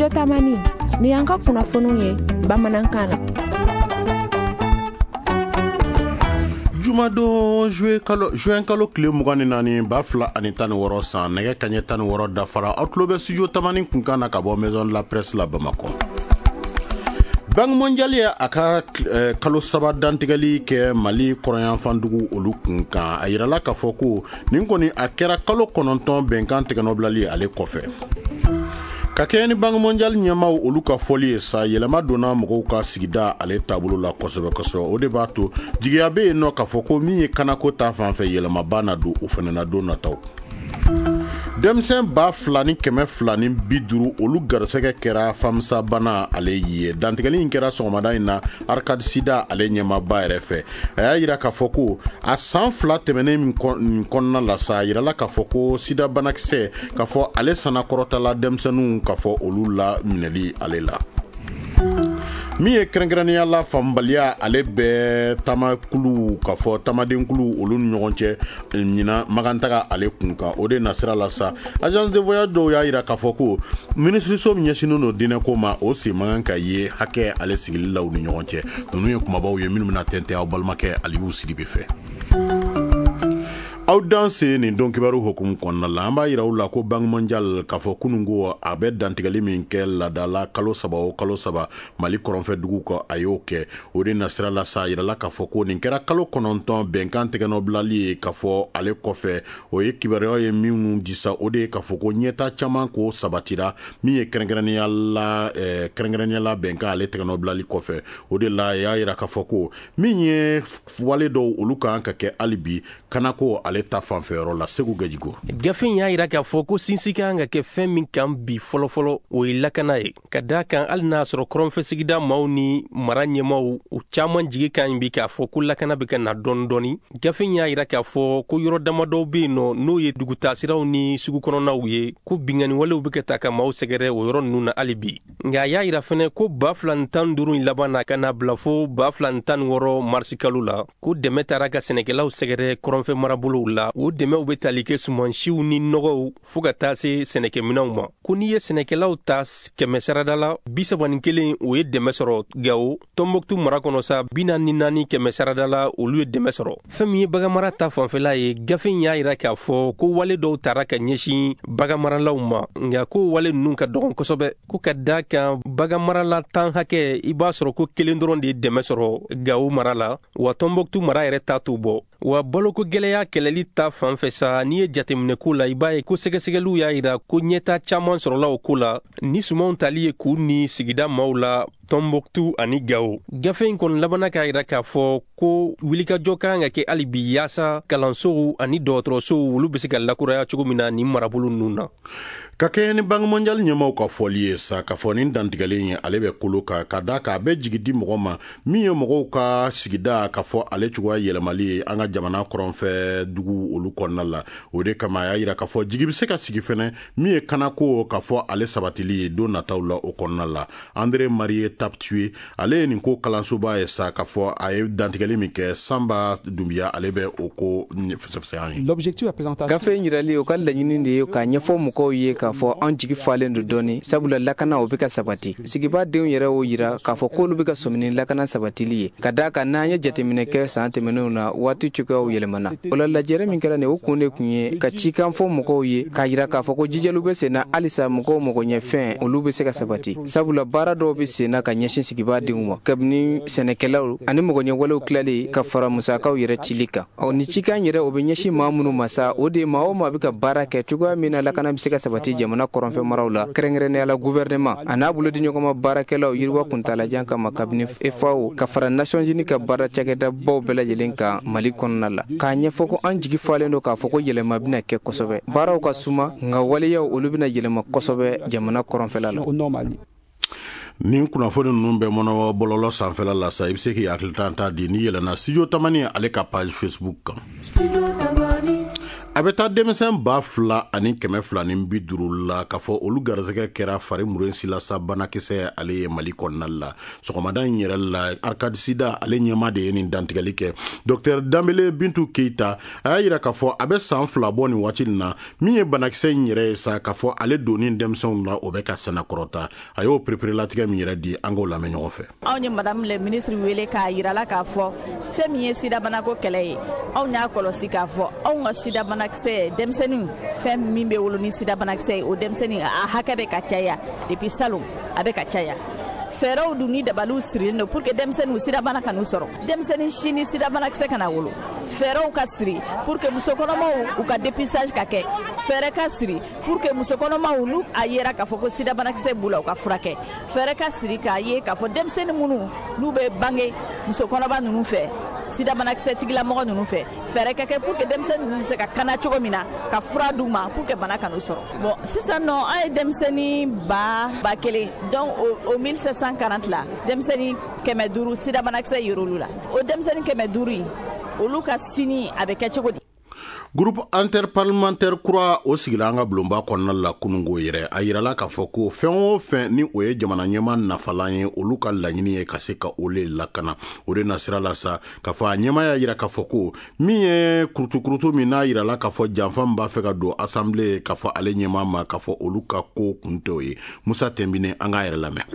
Studio Tamani, ni y'an ka kunnafoniw ye bamanankan na. Jumadon juin kalo tile 24 2016 san, nɛgɛ kaɲɛ 16 dafara, aw tulo bɛ Studio Tamani kunkan na ka bɔ Maison de la Presse la Bamakɔ. Banque mondiale ye a ka kalo 3 dantigɛli kɛ Mali kɔrɔnyanfandugu olu kun kan. A yirala k'a fɔ ko nin kɔni a kɛra kalo 9 bɛnkan tigɛnɔbilali ale kɔfɛ. Ka kɛɲɛ ni Banque mondiale ɲɛmaw olu ka fɔli ye sa, yɛlɛma donna mɔgɔw ka sigida ale taabolo la kosɛbɛ kosɛbɛ. O de b'a to jigiya bɛ yen nɔ k'a fɔ ko min ye kanako ta fan fɛ, yɛlɛmaba na don o fana na don nataw. Denmisɛn 2250 olu garisɛgɛ kɛra famisa bana ale ye. Dantigɛli in kɛra sɔgɔmada in na Arcade Sida ale ɲɛmaaba yɛrɛ fɛ. A y'a yira k'a fɔ ko a san 2 tɛmɛnen nin kɔnɔna la sa, a yirala k'a fɔ ko sida banakisɛ k'a fɔ ale sanakɔrɔtala denmisɛnninw k'a fɔ olu la minɛli ale la. Min ye kɛrɛnkɛrɛnnenya la faamubaliya ale bɛ taamakulu k'a fɔ taamadenkulu olu ni ɲɔgɔn cɛ ɲinan magantaga ale kun kan, o de nasira la sa, agence de voyage dɔw y'a yira k'a fɔ ko minisiriso min ɲɛsinnen don diinɛko ma, o sen man kan ka ye hakɛ ale sigili la u ni ɲɔgɔn cɛ. Ninnu ye kumabaw ye minnu bɛna tɛntɛn aw balimakɛ Aliyu Sidibe fɛ. Aw danse nin don kibaru hukumu kɔnɔna la, an b'a yira u la ko Banque mondiale k'a fɔ kunun ko a bɛ dantigɛli min kɛ laadala kalo 3 o kalo 3 Mali kɔrɔnfɛ dugu kɔ, a y'o kɛ. O de nasira la sa, a yirala k'a fɔ ko nin kɛra kalo 9 bɛnkan tɛgɛnɔbilali ye k'a fɔ ale kɔfɛ. O ye kibaruya ye minnu di sa, o de ye k'a fɔ ko ɲɛta caman ko sabatira min ye kɛrɛnkɛrɛnnenya la bɛnkan ale tɛgɛnɔbilali kɔfɛ. O de la a y'a yira k'a fɔ ko min ye wale dɔw olu kan ka kɛ hali bi kanako ale ta fanfɛyɔrɔ la. Segu Gajigo. Gafe in y'a yira k'a fɔ ko sinsin kan ka kɛ fɛn min kan bi fɔlɔfɔlɔ, o ye lakana ye. Ka d'a kan hali n'a sɔrɔ kɔrɔnfɛ sigida maaw ni mara ɲɛmaaw u caman jigi ka ɲi bi k'a fɔ ko lakana bɛ ka na dɔɔni dɔɔni. Gafe in y'a yira k'a fɔ ko yɔrɔ damadɔw bɛ yen nɔ, n'o ye dugutaasiraw ni sugu kɔnɔnaw ye, ko binkanni walew bɛ ka ta ka maaw sɛgɛrɛ o yɔrɔ ninnu na hali bi. Nka a y'a yira fɛnɛ ko 2015 in laban na ka na bila fo 2016 marisi kalo la, ko dɛmɛ taara ka sɛnɛkɛlaw sɛgɛrɛ kɔrɔnfɛ marabolow la. O dɛmɛw bɛ tali kɛ sumansiw ni nɔgɔw fo ka taa se sɛnɛkɛminɛnw ma. Ko n'i ye sɛnɛkɛlaw ta 100 sarada la, 31 o ye dɛmɛ sɔrɔ Gawo. Tɔnbɔkutu mara kɔnɔ sa, 44 100 sarada la, olu ye dɛmɛ sɔrɔ. Fɛn min ye baganmara ta fanfɛla ye, gafe in y'a yira k'a fɔ ko wale dɔw tara ka ɲɛsin baganmaralaw ma, nka ko wale ninnu ka dɔgɔn kosɛbɛ. Ko ka d'a kan baganmarala 10 hakɛ, i b'a sɔrɔ ko 1 dɔrɔn de ye dɛmɛ sɔrɔ Gawo mara la, wa Tɔnbɔkutu mara yɛrɛ ta t'o bɔ. Wa baloko gɛlɛya kɛlɛli ta fan fɛ sa, n'i ye jateminɛ ko la, i b'a ye ko sɛgɛsɛgɛliw y'a yira ko ɲɛta caman sɔrɔla o ko la, ni sumanw tali ye k'u ni sigida maaw la Tɔnbɔkutu ani Gawo. Gafe in kɔni labanna k'a yira k'a fɔ ko wulikajɔ ka kan ka kɛ hali bi yaasa kalansow ani dɔgɔtɔrɔsow olu bɛ se ka lakuraya cogo min na nin marabolo ninnu na. Ka kɛɲɛ ni Banque mondiale ɲɛmaaw ka fɔli ye sa, k'a fɔ nin dantigɛli in ale bɛ kolo kan, ka d'a kan a bɛ jigi di mɔgɔ ma min ye mɔgɔw ka sigida k'a fɔ ale cogoya yɛlɛmali ye an ka jamana kɔrɔnfɛ dugu olu kɔnɔna la. O de kama a y'a yira k'a fɔ jigi bɛ se ka sigi fɛnɛ min ye kanako k'a fɔ ale sabatili ye don nataw la o kɔnɔna la. André Marie Taptue ale ye nin ko kalansoba ye sa, k'a fɔ a ye dantigɛli min kɛ. Sanba Dunbiya ale bɛ o ko fɛsɛfɛsɛ an ye. Gafe in yirali o ka laɲini de ye k'a ɲɛfɔ mɔgɔw ye k'a fɔ an jigi falen don dɔɔni, sabula lakana o bɛ ka sabati. Sigibaa denw yɛrɛ y'o yira k'a fɔ k'olu bɛ ka sɔmi ni lakana sabatili ye, ka d'a kan n'an ye jateminɛ kɛ san tɛmɛnenw na, waati cogoyaw yɛlɛmana. O la lajɛrɛ min kɛra nin, o kun de kun ye ka cikan fɔ mɔgɔw ye k'a yira k'a fɔ ko jijaliw bɛ sen na halisa, mɔgɔw magoɲɛfɛn olu bɛ se ka sabati, sabula baara dɔw bɛ sen na ka ɲɛsin sigibaa denw ma, kabini sɛnɛkɛlaw ani mɔgɔɲɛwalew tilali ka fara musakaw yɛrɛ cili kan. Ɔ ni cikan yɛrɛ o bɛ ɲɛsin maa minnu ma sa, o de ye maa o maa bɛ ka baara kɛ cogoya min na lakana bɛ se ka sabati jamana kɔrɔnfɛ maraw la, kɛrɛnkɛrɛnnenya la gouvernement a n'a bolodiɲɔgɔnma baarakɛlaw yiriwa kuntaalajan kama, kabini FAO ka fara Nations Unies ka baara cakɛdabaw bɛɛ lajɛlen kan Mali kɔnɔna la, k'a ɲɛfɔ ko an jigi falen don k'a fɔ ko yɛlɛma bɛna kɛ kosɛbɛ. Baaraw ka suma, nka waleyaw olu bɛna yɛlɛma kosɛbɛ jamana kɔrɔnfɛla la. Nin kunnafoni ninnu bɛ mɔnɔ bɔlɔlɔ sanfɛla la sa, i bɛ se k'i hakilita ta di n'i yɛlɛnna Studio Tamani ale ka page Facebook kan. A bɛ taa denmisɛn 2250 la k'a fɔ olu garisɛgɛ kɛra fari murunsila sa banakisɛ ale ye Mali kɔnɔna la. Sɔgɔmada in yɛrɛ la, Arcade Sida ale ɲɛma de ye nin dantigɛli kɛ. Docteur Danbele Bintu Keyita, a y'a yira k'a fɔ a bɛ san 2 bɔ nin waati nin na, min ye banakisɛ in yɛrɛ ye sa, k'a fɔ ale donni denmisɛnw la, o bɛ ka sɛnɛkɔrɔta. A y'o pereperelatigɛ min yɛrɛ di, an k'o lamɛn ɲɔgɔn fɛ. Anw ye madame le ministre wele k'a yira la k'a fɔ fɛn min ye sidabanako kɛlɛ ye, anw y'a kɔlɔsi k'a fɔ anw ka sidabanakisɛ denmisɛnnin, fɛn min bɛ wolo ni sidabanakisɛ ye, o denmisɛnnin a hakɛ bɛ ka caya depuis salon, a bɛ ka caya. Fɛɛrɛw dun ni dabaliw sirilen don pour que denmisɛnninw sidabana ka n'u sɔrɔ, denmisɛnnin si ni sidabanakisɛ kana wolo. Fɛɛrɛw ka siri pour que musokɔnɔmaw u ka dépistage ka kɛ. Fɛɛrɛ ka siri pour que musokɔnɔmaw, n'u a yera k'a fɔ ko sidabanakisɛ b'u la, u ka furakɛ. Fɛɛrɛ ka siri k'a ye k'a fɔ denmisɛnnin minnu n'u bɛ bange musokɔnɔba ninnu fɛ, sidabanakisɛ tigilamɔgɔ ninnu fɛ, fɛɛrɛ ka kɛ pour que denmisɛnnin ninnu bɛ se ka kana cogo min na, ka fura d'u ma pour que bana kan'u sɔrɔ. Bon, sisan nɔ, an ye denmisɛnnin 1000, donc o 1740 la, denmisɛnnin 500 sidabanakisɛ yer'olu la. O denmisɛnnin 500 in, olu ka sini a bɛ kɛ cogo di? Groupe interparlementaire kura o sigila an ka bulonba kɔnɔna la kunungo yɛrɛ. A yirala k'a fɔ ko fɛn o fɛn ni o ye jamana ɲɛma nafalan ye, olu ka laɲini ye ka se ka o le lakana. O de nasira la sa, k'a fɔ a ɲɛma y'a yira k'a fɔ ko min ye kurutukurutu min n'a yirala k'a fɔ janfa min b'a fɛ ka don assemblée, k'a fɔ ale ɲɛma ma k'a fɔ olu ka ko kun tɛ o ye. Musa Tɛnbine, an k'a yɛrɛ lamɛn.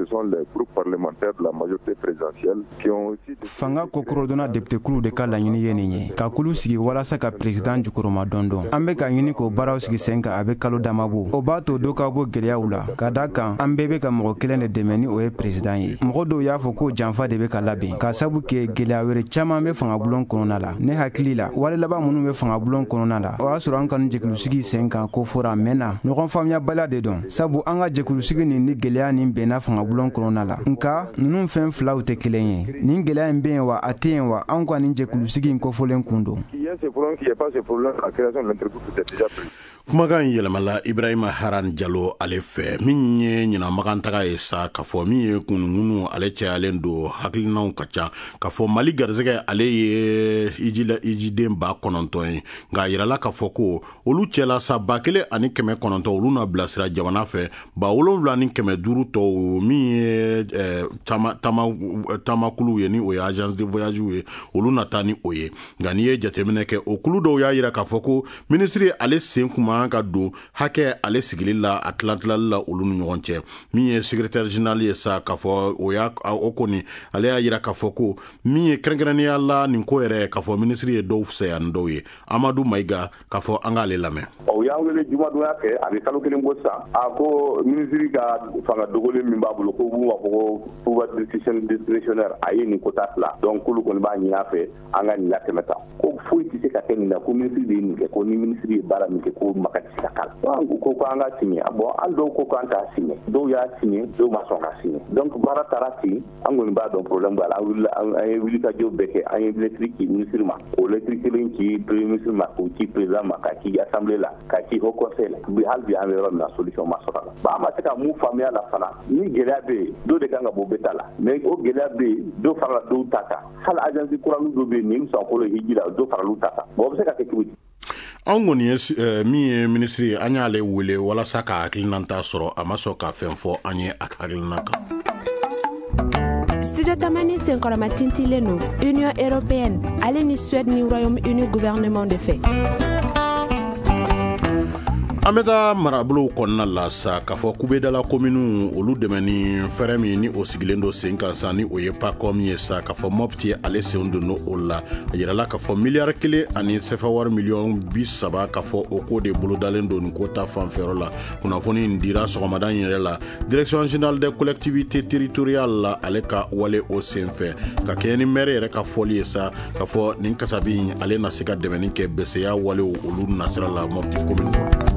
Fanga kokɔrɔdonna député de ka laɲini ye nin ye, ka kulu sigi walasa ka président jukɔrɔma dɔn dɔn. An bɛ ka ɲini k'o baaraw sigi sen kan, a bɛ kalo dama bɔ. O b'a to dɔ ka bɔ gɛlɛyaw la, ka da kan an bɛɛ bɛ ka mɔgɔ kelen de dɛmɛ, ni o ye président ye. Mɔgɔ dɔw y'a fɔ ko janfa de bɛ ka labɛn, ka sabu kɛ gɛlɛya wɛrɛ caman bɛ fangabulon kɔnɔna la. Ne hakili la, wale laban minnu bɛ fangabulon kɔnɔna la, o y'a sɔrɔ an kanu jɛkulusigi sen kan ko fɔra a mɛnna. Ɲɔgɔn faamuyabaliya de don, sabu an ka jɛkulusigi nin ni gɛlɛya nin bɛnna fangabulon kɔnɔna la. Nka ninnu fɛn filaw tɛ kelen ye. Nin gɛlɛya in bɛ yen wa, a tɛ yen wa, an ka nin jɛkulusigi in kofɔlen kun don. Kumakan in yɛlɛmala Ibrahima Haran Jalo ale fɛ. Min ye ɲinamagan taga ye sa, k'a fɔ min ye kununkunu ale cayalen don, hakilinaw ka ca, k'a fɔ Mali garisɛgɛ ale ye ijila ijiden 9000 ye. Nka a yirala k'a fɔ ko olu cɛla sa, 1900 olu na bilasira jamana fɛ, 7500 tɔw min ye taamakuluw ye, ni o ye agence de voyage ye, olu na taa ni o ye. Nka n'i ye jateminɛ kɛ, o kulu dɔw y'a yira k'a fɔ ko minisiri ale sen kuma ka don hakɛ ale sigili la, a tilatilali la olu ni ɲɔgɔn cɛ. Min ye secrétaire général ye sa, k'a fɔ o y'a o kɔni ale y'a yira k'a fɔ ko min ye kɛrɛnkɛrɛnnenya la nin ko yɛrɛ, k'a fɔ minisiri ye dɔw fisaya ni dɔw ye. Amadu Mayiga, k'a fɔ an k'ale lamɛn. O y'an wele jumadonya fɛ, a bɛ kalo 1 bɔ sisan. A ko minisiri ka fanga dogolen min b'a bolo, ko b'u b'a fɔ ko pouvoir discrétionnaire, a ye nin quota fila, donc k'olu kɔni b'a ɲini a fɛ an ka nin latɛmɛ tan, ko foyi tɛ se ka kɛ nin na, ko minisiri de ye nin kɛ, ko ni minisiri ye baara min kɛ, ko maka tɛ se ka k'a la. An ko k'an ka signé. Bon, hali dɔw ko k'an t'a signé, dɔw y'a signé, dɔw ma sɔn ka signé, donc baara taara ten. An kɔni b'a dɔn problème b'a la. An wulila, an ye wulikajɔ bɛɛ kɛ, an ye lettre ci ministre ma, o lettre kelen ci premier ministre ma, k'o ci président ma, ka ci assemblée la, ka ci haut conseil la. Bi, hali bi an bɛ yɔrɔ min na, solution ma sɔrɔ a la. Bon, an ma se ka mun faamuya la fana, ni gɛlɛya bɛ yen, dɔ de kan ka bɔ bɛɛ ta la, mais o gɛlɛya bɛ yen, dɔ farala dɔw ta kan. Hali agence kuranin dɔ bɛ yen nin sankolo hiji la, dɔ farala ta kan. Bon, o bɛ se ka kɛ cogo di? Anw kɔni ye min ye minisiri, an y'ale wele walasa ka hakilinata sɔrɔ, a ma sɔn ka fɛn fɔ an ye a hakilina kan. Studio Tamani senkɔrɔma tintilen don Union européenne ale ni Suède ni Royaume-Uni gouvernement de fɛ. An bɛ taa marabolow kɔnɔna la sa, k'a fɔ kubedala kominiw olu dɛmɛ ni fɛɛrɛ min ni o sigilen don sen kan sa, ni o ye PACOM ye sa, k'a fɔ Mɔpti ale sen don o la. A yirala k'a fɔ 1 biliyari ani sɛfɛwari miliyɔn 30, k'a fɔ o ko de bolodalen don nin ko ta fanfɛyɔrɔ la. Kunnafoni in dira sɔgɔmada in yɛrɛ la Direction générale des collectivités territoriales la, ale ka wale o sen fɛ, ka kɛɲɛ ni maire yɛrɛ ka fɔli ye sa, k'a fɔ nin kasabi in ale na se ka dɛmɛni kɛ bɛsɛya walew olu nasira la Mɔpti commune kɔnɔ.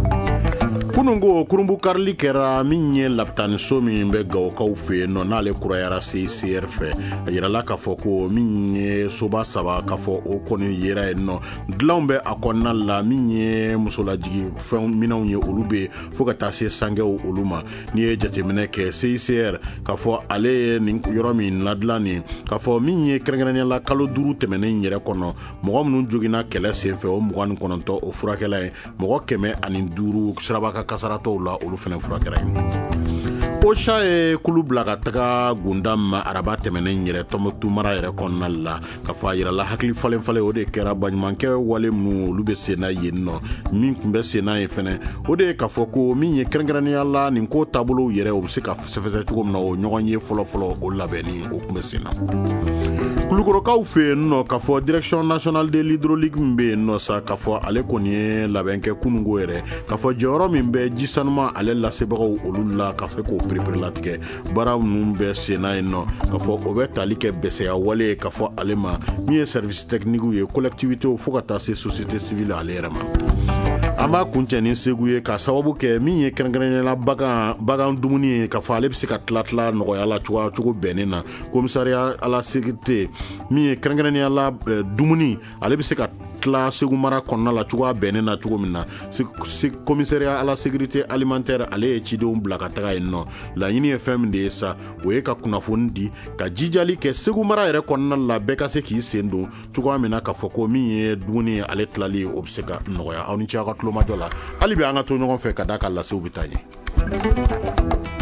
Kunun ko kurunbonkarili kɛra min ye lapitaniso min bɛ Gawokaw fɛ yen nɔ, n'ale kurayara CICR fɛ. A yirala k'a fɔ ko min ye soba 3, k'a fɔ o kɔni yera yen nɔ, dilanw bɛ a kɔnɔna la. Min ye musolajigi fɛn minɛnw ye, olu bɛ yen, fo ka taa se sangɛw olu ma. N'i ye jateminɛ kɛ, CICR k'a fɔ ale ye nin yɔrɔ min ladilan nin, k'a fɔ min ye kɛrɛnkɛrɛnnenya la, kalo 5 tɛmɛnen yɛrɛ kɔnɔ, mɔgɔ minnu joginna kɛlɛ senfɛ, o 29, o furakɛla ye. Mɔgɔ 105 siraba ka kasaratɔw la, olu fana furakɛra ye. OCHA ye kulu bila ka taga Gunda ma araba tɛmɛnen yɛrɛ, Tɔnbɔkutu mara yɛrɛ kɔnɔna la. Ka fɔ a yirala hakili falen falen, o de kɛra baɲumankɛ wale minnu olu bɛ sen na yen nɔ. Min tun bɛ sen na yen fɛnɛ, o de ye k'a fɔ ko min ye kɛrɛnkɛrɛnnenya la, nin ko taabolow yɛrɛ, o bɛ se ka sɛfɛsɛ cogo min na, o ɲɔgɔn ye fɔlɔfɔlɔ, o labɛnni o tun bɛ sen na. Kulukorokaw fɛ yen nɔ, k'a fɔ Direction nationale de l'hydraulique min bɛ yen nɔ sa, k'a fɔ ale kɔni ye labɛn kɛ kununko yɛrɛ, k'a fɔ jɔyɔrɔ min bɛ ji sanuma ale lasebagaw olu la, ka se k'o pereperelatigɛ. Baara ninnu bɛ sen na yen nɔ, k'a fɔ o bɛ tali kɛ bɛsɛya wale ye, k'a fɔ ale ma min ye service technique ye, collectivité, fo ka taa se société civile ale yɛrɛ ma. An b'a kuncɛ ni Segu ye, ka sababu kɛ min ye kɛrɛnkɛrɛnnenya bagan dumuni ye, k'a fɔ ale bɛ se ka tila tila nɔgɔya la cogoya cogo bɛnnen na. Commissariat à la sécurité, min ye kɛrɛnkɛrɛnnenya la dumuni, ale bɛ se ka tila Segu mara kɔnɔna la cogoya bɛnnen na cogo min na, Commissariat à la sécurité alimentaire ale ye cidenw bila ka taga yen nɔ. Laɲini ye fɛn min de ye sa, o ye ka kunnafoni di, ka jijali kɛ Segu mara yɛrɛ kɔnɔna la, bɛɛ ka se k'i sen don cogoya min na, k'a fɔ ko min ye dumuni ye, ale tilali, o bɛ se ka nɔgɔya. Aw ni ce aw ka tulomajɔ la. Hali bi an ka to ɲɔgɔn fɛ, ka d'a ka lasew bɛ taa ɲɛ.